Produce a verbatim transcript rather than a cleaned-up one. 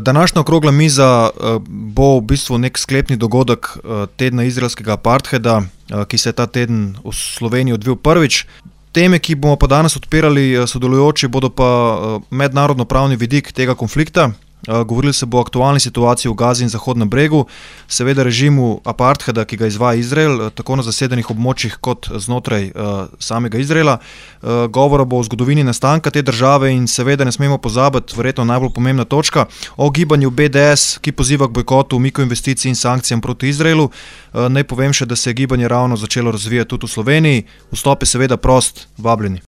Današnja okrogla miza bo v bistvu nek sklepni dogodek tedna izraelskega apartheida, ki se je ta teden v Sloveniji odvil prvič. Teme, ki bomo pa danes odpirali sodelujoči, bodo pa mednarodnopravni vidik tega konflikta. Govorili se bo o aktualni situaciji v Gazi in Zahodnem bregu, seveda režimu apartheida, ki ga izvaja Izrael, tako na zasedenih območjih kot znotraj samega Izraela. Govora bo o zgodovini nastanka te države in seveda ne smemo pozabiti, verjetno najbolj pomembna točka, o gibanju B D S, ki poziva k bojkotu, umiku investicij in sankcijam proti Izraelu. Naj povem še, da se je gibanje ravno začelo razvijati tudi v Sloveniji. Vstop je seveda prost, vabljeni.